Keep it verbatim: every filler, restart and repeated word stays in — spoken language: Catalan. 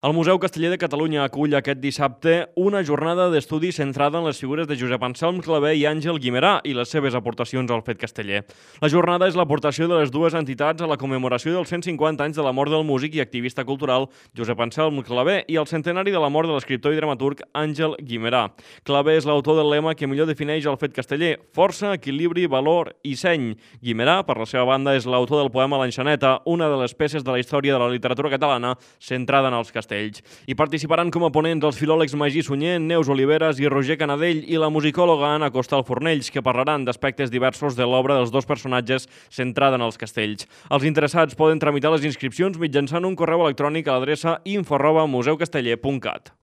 El Museu Casteller de Catalunya acull aquest dissabte una jornada d'estudi centrada en les figures de Josep Anselm Clavé i Àngel Guimerà i les seves aportacions al fet casteller. La jornada és l'aportació de les dues entitats a la commemoració dels cent cinquanta anys de la mort del músic i activista cultural Josep Anselm Clavé i el centenari de la mort de l'escriptor i dramaturg Àngel Guimerà. Clavé és l'autor del lema que millor defineix el fet casteller: força, equilibri, valor i seny. Guimerà, per la seva banda, és l'autor del poema L'Enxaneta, una de les peces de la història de la literatura catalana centrada en els castells. Hi participaran com a ponents els filòlegs Magí Sunyer, Neus Oliveres i Roger Canadell i la musicòloga Anna Costal Fornells, que parlaran d'aspectes diversos de l'obra dels dos personatges centrada en els castells. Els interessats poden tramitar les inscripcions mitjançant un correu electrònic a l'adreça info arroba museucasteller punt cat.